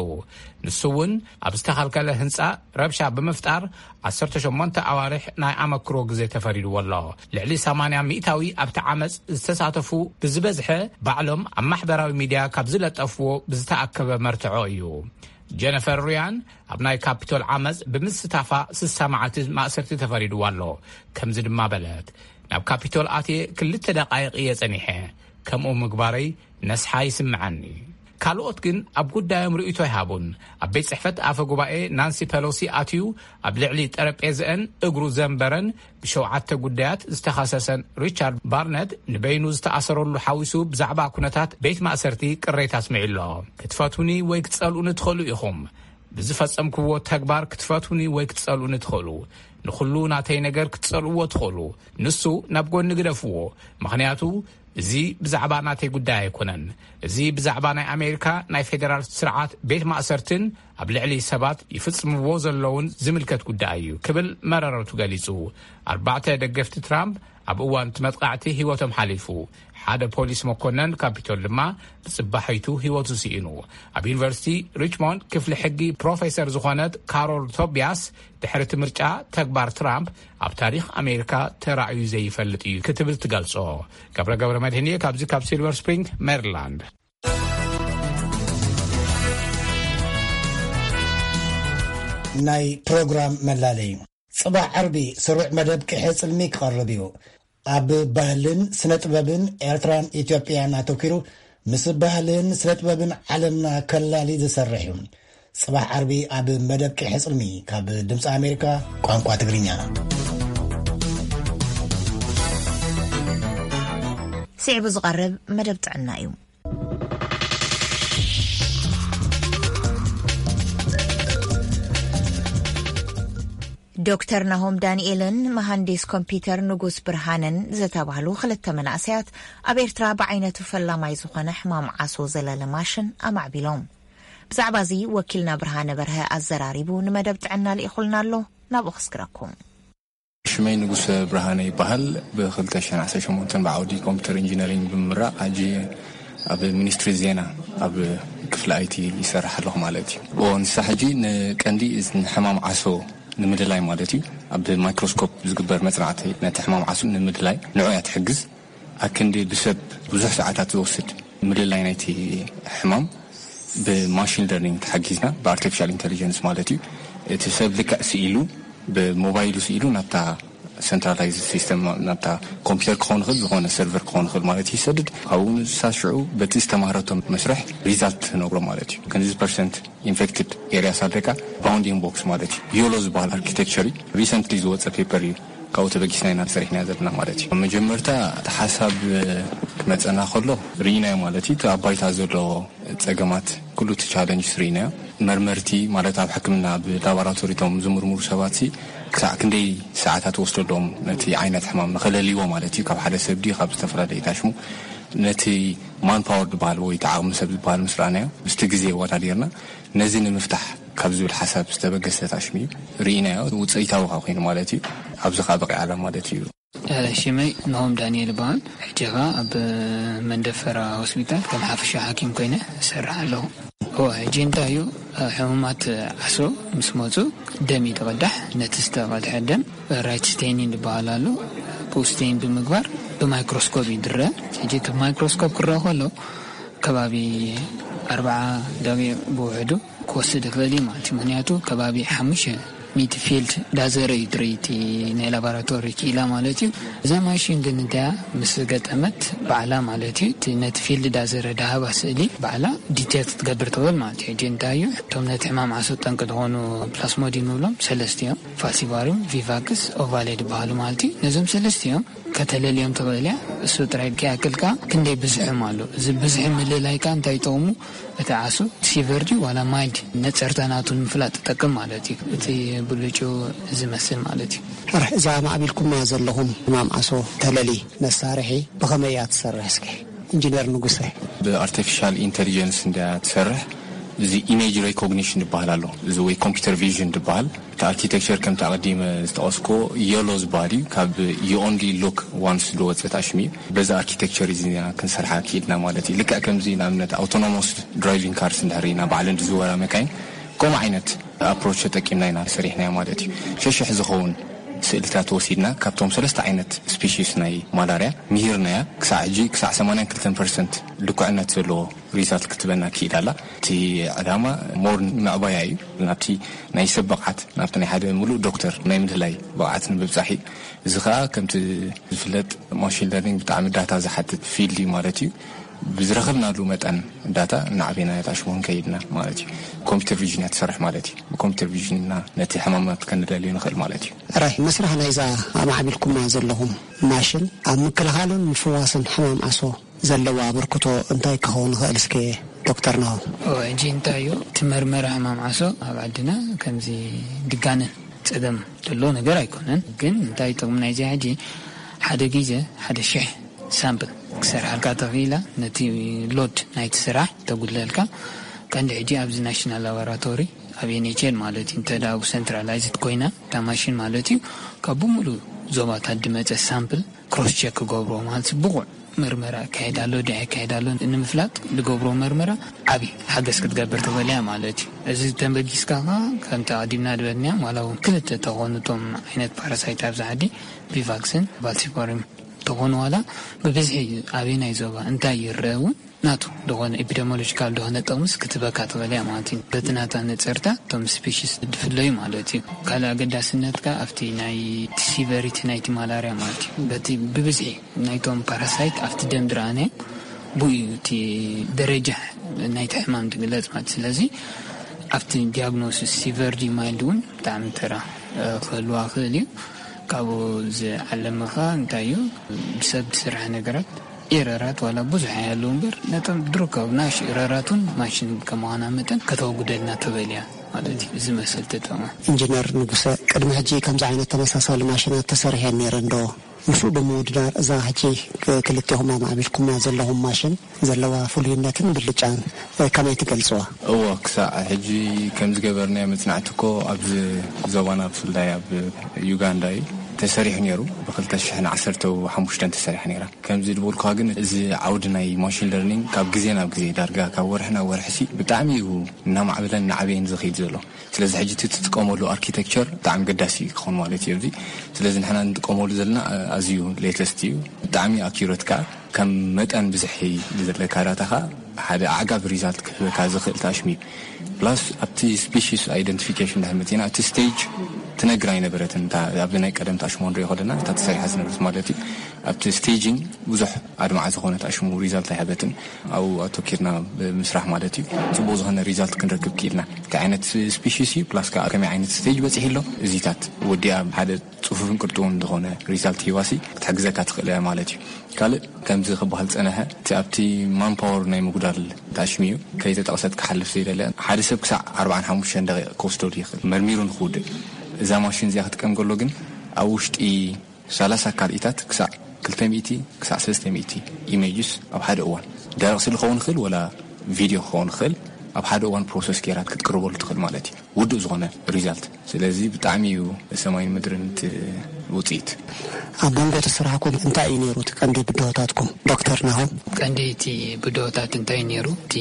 ንሱ እውን ኣብ ዝተኸልከለ ህንጻ ረብሻ ብምፍጣር ዓሰርተ ሸሞንተ ኣዋርሕ ናይ ኣመክሮ ግዜ ተፈሪድዎ ኣሎ። ልዕሊ ሰማንያ ሚእታዊ ኣብቲ ዓመጽ ዝተሳተፉ ብዝበዝሐ ባዕሎም ኣብ ማሕበራዊ ሚድያ ካብ ዝለጠፍዎ ብዝተኣከበ መርትዖ እዩ። ጀነፈር ሪያን ኣብ ናይ ካፒቶል ዓመጽ ብምስታፋ ስሳ መዓልቲ ማእሰርቲ ተፈሪድዋ ኣሎ። ከምዚ ድማ በለት፣ ናብ ካፒቶል ኣትየ ክልተ ደቓይቕ እየ ጸኒሐ። ከምኡ ምግባረይ ነስሓ ይስምዓኒ። ካልኦት ግን ኣብ ጉዳዮም ርእይቶ ኣይሃቡን። ኣብ ቤት ጽሕፈት ኣፈ ጉባኤ ናንሲ ፐሎሲ ኣትዩ ኣብ ልዕሊ ጠረጴዝአን እግሩ ዘንበረን ብሸውዓተ ጉዳያት ዝተኸሰሰን ሪቻርድ ባርነት ንበይኑ ዝተኣሰረሉ ሓዊሱ ብዛዕባ ኩነታት ቤት ማእሰርቲ ቅሬታ ኣስሚዑ ኣሎ። ክትፈትውኒ ወይ ክትጸልኡኒ ትኽእሉ ኢኹም። ብዝፈጸምክዎ ተግባር ክትፈትውኒ ወይ ክትጸልኡኒ ትኽእሉ። ንኹሉ ናተይ ነገር ክትጸልእዎ ትኽእሉ። ንሱ ናብ ጎኒ ግደፍዎ። ምኽንያቱ እዚ ብዛዕባ ናተይ ጉዳይ ኣይኮነን። እዚ ብዛዕባ ናይ ኣሜሪካ ናይ ፌደራል ስርዓት ቤት ማእሰርትን ኣብ ልዕሊ ሰባት ይፍጽምዎ ዘለውን ዝምልከት ጉዳይ እዩ ክብል መረረቱ ገሊጹ። ኣርባዕተ ደገፍቲ ትራምፕ ኣብ እዋን እቲ መጥቃዕቲ ህይወቶም ሓሊፉ። ሓደ ፖሊስ መኮነን ካፒቶል ድማ ብጽባሒቱ ህይወቱ ስኢኑ። ኣብ ዩኒቨርሲቲ ሪችሞንድ ክፍሊ ሕጊ ፕሮፌሰር ዝኾነት ካሮል ቶቢያስ፣ ድሕሪ እቲ ምርጫ ተግባር ትራምፕ ኣብ ታሪኽ ኣሜሪካ ተራእዩ ዘይፈልጥ እዩ ክትብል ትገልጾ። ገብረ ገብረ መድህን እየ ካብዚ ካብ ሲልቨር ስፕሪንግ ሜሪላንድ። ናይ ፕሮግራም መላለዩ። ጽባሕ ዓርቢ ስሩዕ መደብ ቅሐ ጽልሚ ክቐርብ እዩ። ኣብ ባህልን ስነ ጥበብን ኤርትራን ኢትዮጵያን ኣተኲሩ ምስ ባህልን ስነ ጥበብን ዓለምና ከላሊ ዝሰርሕ እዩ። ጽባሕ ዓርቢ ኣብ መደብ ቅሐ ጽልሚ ካብ ድምፂ ኣሜሪካ ቋንቋ ትግርኛ። ስዒቡ ዝቐርብ መደብ ጥዕና እዩ። ዶክተር ናሆም ዳንኤልን መሃንዲስ ኮምፒተር ንጉስ ብርሃንን ዝተባህሉ ክልተ መናእሰያት ኣብ ኤርትራ ብዓይነቱ ፈላማይ ዝኾነ ሕማም ዓሶ ዘለለ ማሽን ኣማዕቢሎም። ብዛዕባ እዚ ወኪልና ብርሃነ በርሀ ኣዘራሪቡ ንመደብ ጥዕና ልኢኹልና ኣሎ። ናብኡ ክስግረኩም። ሽመይ ንጉሰ ብርሃነ ይበሃል። ብ ክልተ ሽሕን ዓሰርተ ሸሞንተን ብዓውዲ ኮምፒተር ኢንጂነሪንግ ብምምራቕ፣ ሕጂ ኣብ ሚኒስትሪ ዜና ኣብ ክፍሊ ኣይቲ ይሰርሕ ኣለኹ ማለት እዩ። ኦ፣ ንሳ ሕጂ ንቀንዲ እዚ ንሕማም ዓሶ ንምድላይ ማለት እዩ። ኣብ ማይክሮስኮፕ ዝግበር መጽናዕቲ ነቲ ሕማም ዓሶ ንምድላይ ንዑ እያ ትሕግዝ። ኣክንዲ ብሰብ ብዙሕ ሰዓታት ዝወስድ ምልላይ ናይቲ ሕማም ብማሽን ለርኒንግ ተሓጊዝና፣ ብኣርቲፊሻል ኢንተሊጀንስ ማለት እዩ። እቲ ሰብ ልክዕ ስኢሉ፣ ብሞባይሉ ስኢሉ ናብታ ሰንትራላይዝ ሲስተም ናብታ ኮምፒውተር ክኸውን ይኽእል፣ ዝኾነ ሰርቨር ክኸውን ይኽእል ማለት እዩ፣ ይሰድድ። ካብኡ ንሳ ሽዑ በቲ ዝተማህረቶም መስርሕ ሪዛልት ትነግሮ ማለት እዩ። ክንዚ ፐርሰንት ኢንፌክትድ ኤሪያስ ኣለካ፣ ባውንዲንግ ቦክስ ማለት እዩ። ዮሎ ዝበሃል ኣርኪቴክቸር እዩ። ሪሰንትሊ ዝወፀ ፔፐር እዩ። ካብኡ ተበጊስና ኢና ሰሪሕና ዘለና ማለት እዩ። መጀመርታ እቲ ሓሳብ ክመፀና ከሎ ርኢናዮ ማለት እዩ። እቲ ኣብ ባይታ ዘሎ ፀገማት፣ ኩሉ እቲ ቻለንጅ ርኢናዮ። መርመርቲ ማለት ኣብ ሕክምና ብላቦራቶሪቶም ዝምርምሩ ሰባት ሲ ክሳዕ ክንደይ ሰዓታት ወስደሎም ነቲ ዓይነት ሕማም ንኸለልይዎ ማለት እዩ። ካብ ሓደ ሰብ ድዩ ካብ ዝተፈላለየ ታሽሙ ነቲ ማንፓወር ዝበሃል ወይ እቲ ዓቕሚ ሰብ ዝበሃል ምስ ረኣናዮ ምስቲ ግዜ ወዳዲርና ነዚ ንምፍታሕ ካብ ዝብል ሓሳብ ዝተበገሰ ታሽሙ እዩ። ርኢናዮ፣ ውፅኢታዊ ከዓ ኮይኑ ማለት እዩ። ኣብዚ ከዓ በቂዓ ኣላ ማለት እዩ። ሽመይ ናሆም ዳንኤል ይበሃል። ሕጂ ኸኣ ኣብ መንደፈራ ሆስፒታል ከም ሓፈሻ ሓኪም ኮይነ እሰርሕ ኣለኹ። እወ፣ ሕጂ እንታይ እዩ፣ ሕሙማት ዓሶ ምስ መጹ ደም እዩ ዝቐዳሕ። ነቲ ዝተቐድሐ ደም ራይት ስቴኒን ዝበሃል ኣሎ። ብኡ ስቴን ብምግባር ብማይክሮስኮፕ ይድረ። ሕጂ እቲ ብማይክሮስኮፕ ክረአ ከሎ ከባቢ ኣርብዓ ደቂቕ ብውሕዱ ክወስድ ይኽእል እዩ ማለት እዩ። ምኽንያቱ ከባቢ ሓሙሽተ ሚቲ ፊልድ ዳዘረ እዩ ድርይቲ ናይ ላቦራቶሪ ክኢላ ማለት እዩ። እዛ ማሽን ግን እንተያ ምስ ገጠመት ባዕላ ማለት እዩ፣ እቲ ነቲ ፊልድ ዳዘረ ዳሃባ ስእሊ ባዕላ ዲቴክት ትገብር ትኽእል ማለት እዩ። ሕጂ እንታይ እዩ፣ እቶም ነቲ ሕማም ዓሶ ጠንቂ ዝኾኑ ፕላስሞዲን ንብሎም ሰለስተ እዮም። ፋልሲባሪም፣ ቪቫክስ፣ ኦቫሌ ዝበሃሉ ማለት እዩ። ነዞም ሰለስተ እዮም ከተለልዮም ትኽእል እያ። እሱ ጥራይ ከይኣክል ከኣ ክንደይ ብዝሖም ኣሎ። እዚ ብዝሒ ምልላይ ከኣ እንታይ ይጠቕሙ? እቲ ዓሶ ሲቨር ድዩ ዋላ ማይልድ ነጸርታ ናቱ ንምፍላጥ ትጠቅም ማለት እዩ። እቲ ብልጩ ዝመስል ማለት እዩ። ሕራሕ እዛ ማዕቢልኩማ ዘለኹም ሕማም ዓሶ ተለሊ መሳርሒ ብኸመይ እያ ትሰርሕ? እስኪ ኢንጂነር ንጉሰ። ብኣርቲፊሻል ኢንተሊጀንስ እንድያ ትሰርሕ። እዚ ኢሜጅ ሬኮግኒሽን ይበሃል ኣሎ፣ እዚ ወይ ኮምፒውተር ቪዥን ይበሃል። እቲ ኣርኪቴክቸር ከምቲ ኣቐዲመ ዝጠቐስኩዎ የሎ ዝበሃል እዩ። ካብ you only look once ዝወፀ ታሽም እዩ። በዚ ኣርኪቴክቸር እዚ ኢና ክንሰርሓ ክኢልና ማለት እዩ። ልክዕ ከምዚ ንኣብነት ኣውቶኖሞስ ድራይቪንግ ካርስ እንድሕር ኢና ባዕለን ዝዝወራ መካይን ከምኡ ዓይነት ኣፕሮች ተጠቂምና ኢና ሰሪሕናዮ ማለት እዩ። ሸሽሕ ዝኸውን ስእልታት ወሲድና ካብቶም ሰለስተ ዓይነት ስፒሺስ ናይ ማላርያ ምሂርናያ። ክሳዕ ሕጂ ክሳዕ ሰማንያን ክልተን ፐርሰንት ልኩዕነት ዘለዎ ሪዛልት ክትበና ክኢል ኣላ። እቲ ዕላማ ሞር ምዕባያ እዩ። ናብቲ ናይ ሰብ ብቕዓት፣ ናብቲ ናይ ሓደ ምሉእ ዶክተር ናይ ምድላይ ብቕዓት ንምብጻሕ እዩ። እዚ ኸኣ ከምቲ ዝፍለጥ ማሽን ለርኒንግ ብጣዕሚ ዳታ ዝሓትት ፊልድ እዩ ማለት እዩ። ብዝረኸብናሉ መጠን ዳታ እናዕቤና የታሽሞን ከይድና ማለት እዩ። ኮምፒውተር ቪዥን እያ ትሰርሕ ማለት እዩ። ብኮምፒውተር ቪዥን ኢና ነቲ ሕማማት ከንለልዮ ንኽእል ማለት እዩ። ራይ መስራሕ ናይዛ ኣማዕቢልኩማ ዘለኹም ማሽን ኣብ ምክልኻልን ምፍዋስን ሕማም ዓሶ ዘለዎ ኣበርክቶ እንታይ ክኸውን ይኽእል? እስከ ዶክተር ናሆም። እወ፣ ሕጂ እንታይ እዩ እቲ መርመራ ሕማም ዓሶ ኣብ ዓድና ከምዚ ድጋነን ጸገም ዘሎ ነገር ኣይኮነን። ግን እንታይ ጥቕሚ ናይዚ ሕጂ ሓደ ግዜ ሓደ ሽሕ ሳምፕል ክሰርሓልካ ተኽኢላ ነቲ ሎድ ናይቲ ስራሕ ተጉድለልካ። ቀንዲ ሕጂ ኣብዚ ናሽናል ላቦራቶሪ ኣብ ኤንኤችኤል ማለት እዩ፣ እንተ ደኣ ብኡ ሰንትራላይዝድ ኮይና እታ ማሽን ማለት እዩ፣ ካብ ብምሉእ ዞባታት ድመጸ ሳምፕል ክሮስ ቸክ ክገብርዎ ማለት እዩ፣ ብቑዕ መርመራ ኣካየድ ኣሎ ድያ ኣካየድ ኣሎ ንምፍላጥ ዝገብሮ መርመራ ዓቢ ሓገዝ ክትገብር ትኽእል እያ ማለት እዩ። እዚ ተንበጊስካ ኸዓ ከምቲ ኣቐዲምና ዝበልናዮ ዋላ እውን ክልተ ተኾኑ እቶም ዓይነት ፓራሳይት ኣብዚ ዓዲ ቪቫክስን ቫልሲፎርም ተኾኑ ዋላ ብብዝሒ ኣበየናይ ዞባ እንታይ ይረአ እውን ናቱ ዝኾነ ኤፒደሞሎጂካል ዝኾነ ጥቕምስ ክትበካ ትኽእል እያ ማለት እዩ። በቲ ናታ ነጸርታ እቶም ስፒሽስ ድፍለዩ ማለት እዩ። ካልእ ኣገዳስነት ከኣ ኣብቲ ናይ ሲቨሪቲ ናይቲ ማላርያ ማለት እዩ። በቲ ብብዝሒ ናይቶም ፓራሳይት ኣብቲ ደም ድረኣነ ብኡ እዩ እቲ ደረጃ ናይቲ ሕማም ትግለጽ ማለት። ስለዚ ኣብቲ ዲያግኖሲስ ሲቨር ድዩ ማይልድ እውን ብጣዕሚ ተራ ክህልዋ ክእል እዩ። ካብኡ ዝዓለመኻ እንታይ እዩ፣ ብሰብ ዝስራሕ ነገራት ኤረራት ዋላ ብዙሕ ኣይሃለዉ እምበር ነቶም ድሩካብ ናሽ ኤረራቱን ማሽን ከመዃና መጠን ከተወጉደልና ትኽእል እያ ማለት እዩ። እዚ መስል ተጠቕማ። ኢንጂነር ንጉሰ፣ ቅድሚ ሕጂ ከምዚ ዓይነት ተመሳሳሊ ማሽናት ተሰሪሐን ነይረን ዶ? ምስኡ ብምውድዳር እዛ ሕጂ ክልቴኹም ኣማዕቢልኩማ ዘለኹም ማሽን ዘለዋ ፍሉይነትን ብልጫን ከመይ ትገልጽዋ? እዎ፣ ክሳዕ ሕጂ ከም ዝገበርናዮ መጽናዕቲ እኮ ኣብዚ ዞባና ብፍላይ ኣብ ዩጋንዳ እዩ ተሰሪሑ ነይሩ። ብ ክልተ ሽሕን ዓሰርተ ሓሙሽተን ተሰሪሓ ነይራ። ከምዚ ዝበልኩኻ ግን እዚ ዓውዲ ናይ ማሽን ለርኒንግ ካብ ግዜ ናብ ግዜ ዳርጋ ካብ ወርሒ ናብ ወርሒ ሲ ብጣዕሚ እዩ እናማዕበለን እናዓበየን ዝኸይድ ዘሎ። ስለዚ ሕጂ እቲ ትጥቀመሉ ኣርኪቴክቸር ብጣዕሚ ገዳሲ ክኾን ማለት እዩ። እዚ ስለዚ ንሕና እንጥቀመሉ ዘለና ኣዝዩ ሌተስት እዩ። ብጣዕሚ ኣኪዩረት ከኣ ከም መጠን ብዝሒ ዘለካ ዳታ ከኣ ሓደ ኣዕጋቢ ሪዛልት ክህበካ ዝኽእል ታሽም እዩ። ፕላስ ኣብቲ ስፒሽስ ኣይደንቲፊኬሽን ድሕር መፂና እቲ ስቴጅ ትነግር ኣይነበረትን። እታ ኣብዚ ናይ ቀደም ታሽሞ ንሪኦ ከለና እታ ተሰሪሓ ዝነበረት ማለት እዩ። ኣብቲ ስቴጂንግ ብዙሕ ኣድማዒ ዝኾነ ታሽሙ ሪዛልት ኣይሃበትን። ኣብኡ ኣተኪርና ብምስራሕ ማለት እዩ፣ ጽቡቕ ዝኾነ ሪዛልት ክንረክብ ክኢልና። እንታይ ዓይነት ስፒሽስ እዩ፣ ፕላስ ከኣ ከመይ ዓይነት ስቴጅ በጺሑ ኣሎ፣ እዚታት ወዲኣ ሓደ ጽፉፍን ቅርጥውን ዝኾነ ሪዛልት ሂዋሲ ክትሕግዘካ ትኽእል እያ ማለት እዩ። ካልእ ከምዚ ክበሃል ዝጸንሐ፣ እቲ ኣብቲ ማንፓወር ናይ ምጉዳል ታሽሚ እዩ። ከይተጠቕሰት ክሓልፍ ዘይደለ፣ ሓደ ሰብ ክሳዕ ኣርባዓን ሓሙሽተን ደቂቕ ክወስደሉ ይኽእል መርሚሩ ንክውድእ። እዛ ማሽን እዚኣ ክትጥቀም ከሎ ግን ኣብ ውሽጢ ሰላሳ ካልኢታት ክሳዕ ክልተ ሚእቲ ክሳዕ ሰለስተ ሚእቲ ኢሜጅስ ኣብ ሓደ እዋን፣ ደረቕ ስእሊ ክኸውን ይኽእል ወላ ቪድዮ ክኸውን ይኽእል፣ ኣብ ሓደ እዋን ፕሮሰስ ጌራ ክትቅርበሉ ትኽእል ማለት እዩ፣ ውዱእ ዝኾነ ሪዛልት። ስለዚ ብጣዕሚ እዩ ሰማይን ምድርን እቲ ውፅኢት። ኣብ መንጎ እቲ ስራሕኩም እንታይ እዩ ነይሩ እቲ ቀንዲ ብድሆታትኩም ዶክተር ናሆም? ቀንዲ እቲ ብድሆታት እንታይ ነይሩ? እቲ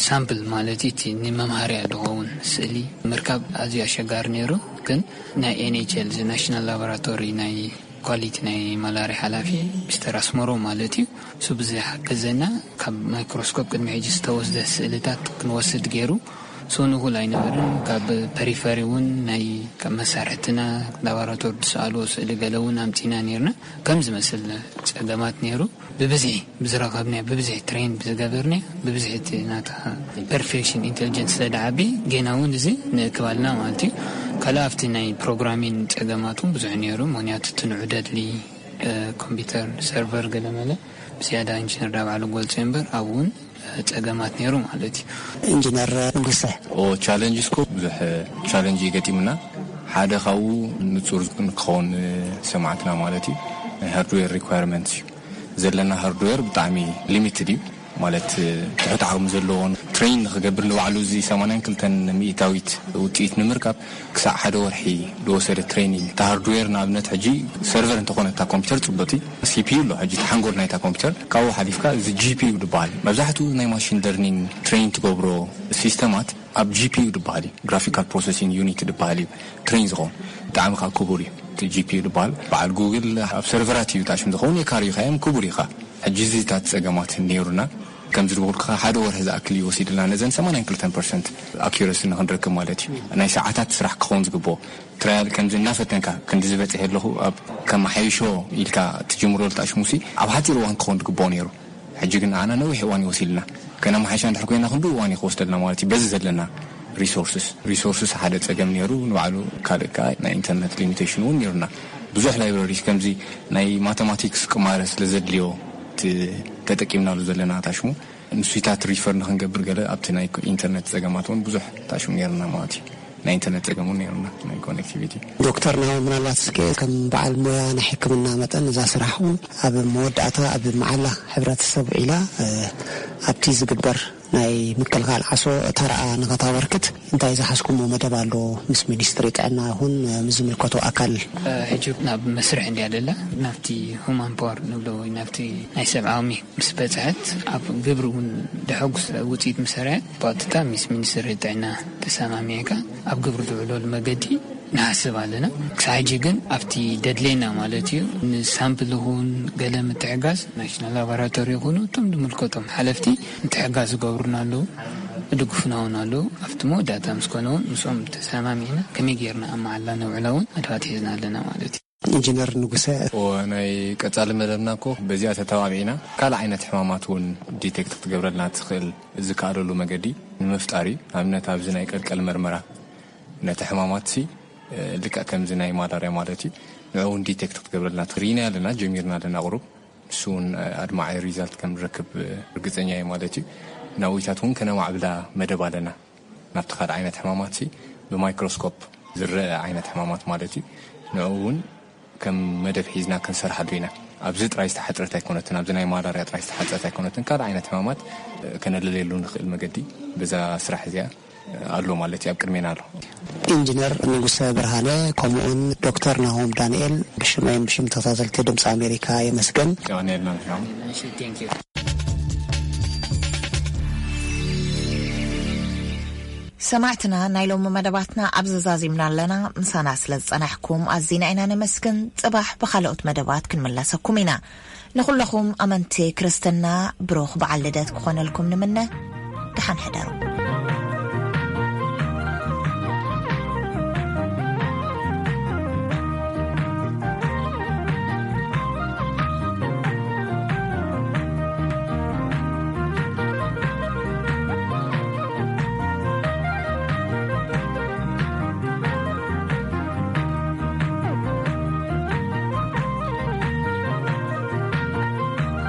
ሳምፕል ማለት እዩ፣ እቲ ንመምሃርያ ዝኸውን ስእሊ ምርካብ ኣዝዩ ኣሸጋሪ ነይሩ። ግን ናይ ኤንኤችኤል ናሽናል ላቦራቶሪ ናይ ኳሊቲ ናይ ማላርያ ሓላፊ ሚስተር ኣስመሮ ማለት እዩ፣ እሱ ብዝሓገዘና ካብ ማይክሮስኮፕ ቅድሚ ሕጂ ዝተወስደ ስእልታት ክንወስድ ገይሩ። ሰው ንኹል ኣይነበርን። ካብ ፐሪፈሪ እውን ናይ ካብ መሳርሕትና ላቦራቶሪ ዝሰኣልዎ ስእሊ ገለ እውን ኣምፂና ነርና። ከም ዝመስል ፀገማት ነይሩ። ብብዝሒ ብዝረኸብናዮ፣ ብብዝሒ ትሬን ብዝገበርናዮ፣ ብብዝሒ እቲ ናታ ፐርፌክሽን ኢንቴሊጀንስ ስለደዓቢ፣ ጌና እውን እዚ ንእክባልና ማለት እዩ። ካልእ ኣብቲ ናይ ፕሮግራሚን ፀገማት እውን ብዙሕ ነይሩ። ምክንያቱ እቲ ንዑ ደድሊ ኮምፒውተር ሰርቨር ገለመለ ብዝያዳ ኢንጂነር ዳባዕሉ ገልጾ እምበር ኣብኡ እውን ፀገማት ነይሩ ማለት እዩ። ኢንጂነር ንጉሰ። ኦ ቻለንጅ ስኮ ብዙሕ ቻለንጅ ይገጢምና። ሓደ ካብኡ ንጹር ንክኸውን ሰማዕትና ማለት እዩ፣ ናይ ሃርድዌር ሪኳየርመንት እዩ። ዘለና ሃርድዌር ብጣዕሚ ሊሚትድ እዩ። ማለት ትሑት ዓቕሚ ዘለዎን ትሬን ንክገብር ንባዕሉ እዚ ሰማንያን ክልተን ሚእታዊት ውፅኢት ንምርካብ ክሳዕ ሓደ ወርሒ ዝወሰደ ትሬኒንግ። እቲ ሃርድዌር ንኣብነት ሕጂ ሰርቨር እንተኾነ እታ ኮምፒውተር ፅቡቕቲ ሲፒዩ ኣሎ። ሕጂ እቲ ሓንጎል ናይታ ኮምፒውተር ካብኡ ሓሊፍካ እዚ ጂፒዩ ዝበሃል መብዛሕትኡ ናይ ማሽን ለርኒንግ ትሬን ትገብሮ ሲስተማት ኣብ ጂፒዩ ዝበሃል እዩ፣ ግራፊካል ፕሮሰሲንግ ዩኒት ዝበሃል እዩ ትሬን ዝኸውን። ብጣዕሚ ከዓ ክቡር እዩ እቲ ጂፒዩ ዝበሃል። በዓል ጉግል ኣብ ሰርቨራት እዩ ታሽም ዝኸውን፣ የካርዩ ካዮም ክቡር እዩ ከዓ። ሕጂ እዚታት ጸገማት ነይሩና። ከም ዝድበልኩኻ ሓደ ወርሒ ዝኣክል እዩ ወሲድልና ነዘን ሰማንያን ክልተን ፐርሰንት ኣኪረሲ ንክንረክብ ማለት እዩ። ናይ ሰዓታት ስራሕ ክኸውን ዝግብኦ ትራያል ከምዚ እናፈተንካ ክንዲ ዝበጽሕ ኣለኹ ኣብ ከመሓይሾ ኢልካ ትጅምሮ ልጣሽሙሲ ኣብ ሓፂር እዋን ክኸውን ዝግብኦ ነይሩ። ሕጂ ግን ኣና ነዊሕ እዋን ይወሲድልና። ከነመሓይሻ እንድሕር ኮይና ክንዱ እዋን ይክወስደልና ማለት እዩ። በዚ ዘለና ሪሶርስስ ሪሶርስስ ሓደ ጸገም ነይሩ ንባዕሉ። ካልእ ከዓ ናይ ኢንተርነት ሊሚቴሽን እውን ነይሩና። ብዙሕ ላይብረሪስ ከምዚ ናይ ማተማቲክስ ቅማረ ስለ ዘድልዮ እቲ ተጠቂምናሉ ዘለና ታሽሙ ንሱታት ሪፈር ንክንገብር ገለ ኣብቲ ናይ ኢንተርነት ጸገማት እውን ብዙሕ ታሽሙ ነይርና ማለት እዩ። ናይ ኢንተርነት ጸገም እውን ነይርና ናይ ኮኔክቲቪቲ። ዶክተር ናሆም፣ ምናልባት እስከ ከም በዓል ሞያ ናይ ሕክምና መጠን እዛ ስራሕ እውን ኣብ መወዳእታ ኣብ መዓላ ሕብረተሰብ ውዒላ ኣብቲ ዝግበር ናይ ምክልኻል ዓሶ ተራኣ ንኸታበርክት እንታይ ዝሓዝኩሞ መደብ ኣሎ? ምስ ሚኒስትሪ ጥዕና ይኹን ምስ ዝምልከቶ ኣካል? ሕጂ ናብ መስርሕ እንድያ ደላ ናብቲ ሁማን ፓወር ንብሎ ወይ ናብቲ ናይ ሰብኣዊ ምስ በፅሐት ኣብ ግብሪ እውን ደሐጉስ ውፅኢት ምሰርዐ ብቐጥታ ምስ ሚኒስትሪ ጥዕና ተሰማሚዕካ ኣብ ግብሪ ዝውዕለሉ መገዲ ንሓስብ ኣለና። ክሳብ ሕጂ ግን ኣብቲ ደድሌና ማለት እዩ ንሳምፕል ይኹን ገለ ምትሕጋዝ ናሽናል ላቦራቶሪ ይኹኑ እቶም ዝምልከቶም ሓለፍቲ ምትሕጋዝ ዝገብሩና ኣለዉ፣ ይድግፉና እውን ኣለዉ። ኣብቲ መወዳእታ ምስ ኮነ እውን ምስኦም ተሰማሚዕና ከመይ ጌርና ኣብ መዓላ ነውዕላ እውን ኣድባት ሒዝና ኣለና ማለት እዩ። ኢንጂነር ንጉሰ። ናይ ቀጻሊ መደብና እኮ በዚኣ ተተባቢዕና ካልእ ዓይነት ሕማማት እውን ዲቴክት ክትገብረልና ትኽእል ዝከኣለሉ መገዲ ንምፍጣር እዩ። ኣብነት ኣብዚ ናይ ቀልቀል መርመራ ነቲ ሕማማት ሲ ልክዕ ከምዚ ናይ ማላርያ ማለት እዩ ንዕኡ እውን ዲቴክት ክትገብረልና ትኽእል ኢና ኣለና ጀሚርና ኣለና ቁሩብ። ንሱ እውን ኣድማዒ ሪዛልት ከም ንረክብ ርግጸኛ እየ ማለት እዩ። ናዊታት እውን ከነማዕብላ መደብ ኣለና ናብቲ ካልእ ዓይነት ሕማማት ሲ ብማይክሮስኮፕ ዝረአ ዓይነት ሕማማት ማለት እዩ። ንዕኡ እውን ከም መደብ ሒዝና ክንሰርሓሉ ኢና። ኣብዚ ጥራይ ዝተሓፅረት ኣይኮነትን፣ ኣብዚ ናይ ማላርያ ጥራይ ዝተሓፅረት ኣይኮነትን። ካልእ ዓይነት ሕማማት ከነለለየሉ ንኽእል መገዲ በዛ ስራሕ እዚኣ ኣሎ ማለት እዩ፣ ኣብ ቅድሜና ኣሎ። ኢንጂነር ንጉሰ ብርሃነ ከምኡውን ዶክተር ናሆም ዳንኤል ብሽመይን ብሽም ተኸታተልቲ ድምፂ ኣሜሪካ የመስገን። ሰማዕትና፣ ናይ ሎሚ መደባትና ኣብ ዘዛዚምና ኣለና። ምሳና ስለ ዝጸናሕኩም ኣዚና ኢና ነመስግን። ጽባሕ ብኻልኦት መደባት ክንምለሰኩም ኢና። ንኹለኹም ኣመንቲ ክርስትና ብሩኽ በዓል ልደት ክኾነልኩም ንምነ። ደሓን ሕደሩ።